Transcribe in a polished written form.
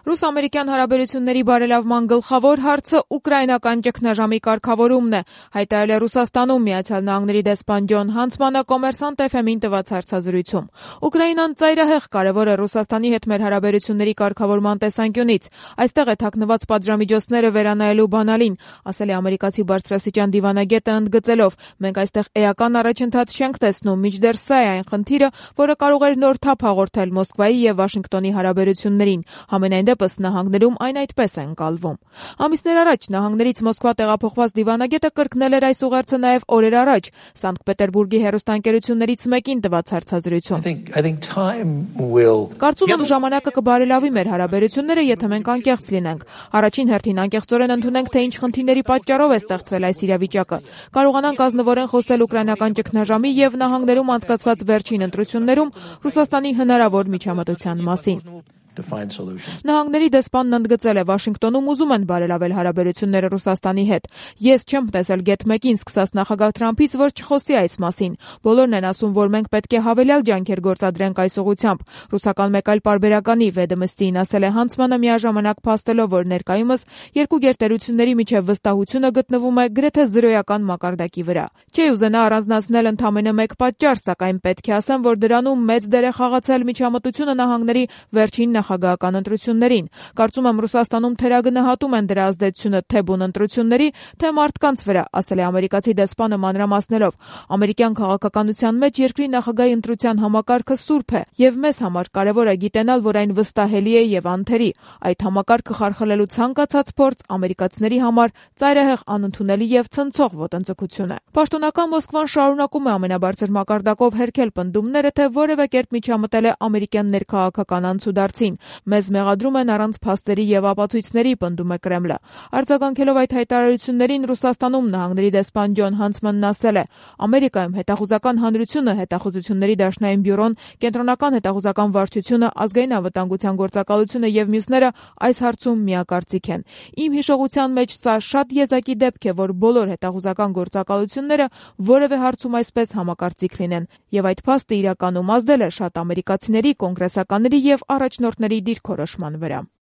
Ռուս-ամերիկյան հարաբերությունների բարելավման գլխավոր հարցը ուկրաինական ճգնաժամի կարգավորումն է, հայտարարել է Ռուսաստանում Միացյալ Նահանգների դեսպան Ջոն Հանցմանը Կոմերսանտ FM-ին տված հարցազրույցում։ Ուկրաինան ծայրահեղ կարևոր է Ռուսաստանի հետ մեր հարաբերությունների կարգավորման տեսանկյունից։ Այստեղ է թաքնված պատժամիջոցները վերանայելու բանալին, ասել է ամերիկացի բարձրաստիճան դիվանագետը ընդգծելով. մենք այստեղ էական առաջընթաց չենք տեսնում, մինչդեռ սա է այն խնդիրը, որը կարող էր նոր թափ հաղորդել Մոսկվայի եւ Վաշինգտոնի հարաբերություններին։ Համենայնդեպս նահանգներում այն այդպես է ընկալվում։ Ամիսներ առաջ նահանգներից Մոսկվա տեղափոխված դիվանագետը կրկնել էր այս ուղերձը նաև օրեր առաջ Սանկտ Պետերբուրգի հեռուստաընկերություններից մեկին տված հարցազրույցում։ Կարծում եմ ժամանակը կբարելավի մեր հարաբերությունները, եթե մենք անկեղծ լինենք։ Առաջին հերթին անկեղծորեն ընդունենք, թե ինչ խնդիրների պատճառով է ստեղծվել այս իրավիճակը։ Կարողանանք ազնվորեն խոսել ուկրաինական ճգնաժամի եւ նահանգներում անցկացված վերջին ընտրություններում Ռուսաստանի հնարավոր միջամտության մասին։ Նահանգների դեսպանն ընդգծել է, Վաշինգտոնում ուզում են բարելավել հարաբերությունները Ռուսաստանի հետ։ Ես չեմ տեսել գեթ մեկին սկսած նախագահ Թրամփից, որ չխոսի այս մասին։ Բոլորն են ասում, որ մենք պետք է հավելյալ ջանքեր գործադրենք այս ուղղությամբ։ Ռուսական մեկ այլ պարբերականի Վեդոմստիին ասել է Հանցմանը միաժամանակ փաստելով, որ ներկայումս երկու գերտերությունների միջև վստահությունը գտնվում է գրեթե զրոյական մակարդակի վրա։ Չի ուզենա առանձնացնել ընդամենը մեկ պատճառ, սակայն պետք է ասեմ, որ դրանում մեծ դեր է խաղացել միջամտությունը նահանգների վերջին նախագահական ընտրություններին։ Կարծում եմ Ռուսաստանում թերագնահատում են դրա ազդեցությունը թե բուն ընտրությունների, թե մարդկանց վրա, ասել է ամերիկացի դեսպանը մանրամասնելով. ամերիկյան քաղաքականության մեջ երկրի նախագահի ընտրության համակարգը սուրբ է, եւ մեզ համար կարևոր է գիտենալ, որ այն վստահելի է եւ անթերի։ Այդ համակարգը խարխլելու ցանկացած փորձ ամերիկացիների համար ծայրահեղ անընդունելի եւ ցնցող ոտնձգություն է։ Պաշտոնական Մոսկվան շարունակում է ամենաբարձր մակարդակով հերքել պնդումները, թե որևէ կերպ միջամտել է ամերիկյան ներքաղաքական անցուդարձին։ Մեզ մեղադրում են առանց փաստերի եւ ապացույցների, պնդում է Կրեմլը։ Արձագանքելով այդ հայտարարություններին Ռուսաստանում նահանգների դեսպան Ջոն Հանցմանն ասել է. Ամերիկայում հետախուզական հանրությունը, հետախուզությունների դաշնային բյուրոն, կենտրոնական հետախուզական վարչությունը, ազգային անվտանգության գործակալությունը եւ մյուսները այս հարցում միակարծիք են։ Իմ հիշողության մեջ սա շատ եզակի դեպք է, որ բոլոր հետախուզական գործակալությունները որևէ հարցում այսպես համակարծիք լինեն, եւ այդ փաստը իրականում ազդել է շատ ամերիկացիների, կոնգրեսականների եւ առաջնորդների դիրքորոշման վրա։